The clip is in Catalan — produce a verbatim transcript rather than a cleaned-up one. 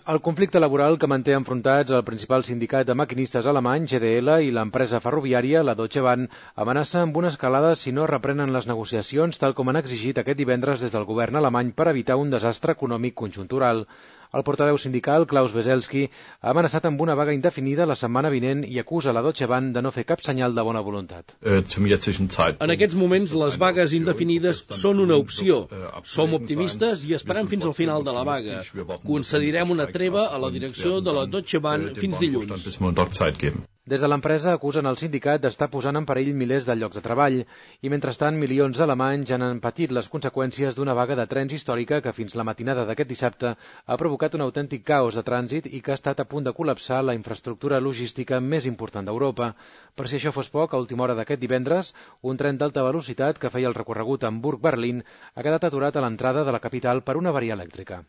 El conflicte laboral que manté enfrontats el principal sindicat de maquinistes alemany, G D L, i l'empresa ferroviària, la Deutsche Bahn, amenaça amb una escalada si no reprenen les negociacions, tal com han exigit aquest divendres des del govern alemany per evitar un desastre econòmic conjuntural. El portaveu sindical, Klaus Weselski, ha amenaçat amb una vaga indefinida la setmana vinent i acusa la Deutsche Bahn de no fer cap senyal de bona voluntat. En aquests moments, les vagues indefinides són una opció. Som optimistes i esperem fins al final de la vaga. Concedirem una treva a la direcció de la Deutsche Bahn fins dilluns. Des de l'empresa acusen el sindicat d'estar posant en perill milers de llocs de treball i, mentrestant, milions d'alemanys ja han patit les conseqüències d'una vaga de trens històrica que fins la matinada d'aquest dissabte ha provocat un autèntic caos de trànsit i que ha estat a punt de col·lapsar la infraestructura logística més important d'Europa. Per si això fos poc, a última hora d'aquest divendres, un tren d'alta velocitat que feia el recorregut Hamburg-Berlín ha quedat aturat a l'entrada de la capital per una avaria elèctrica.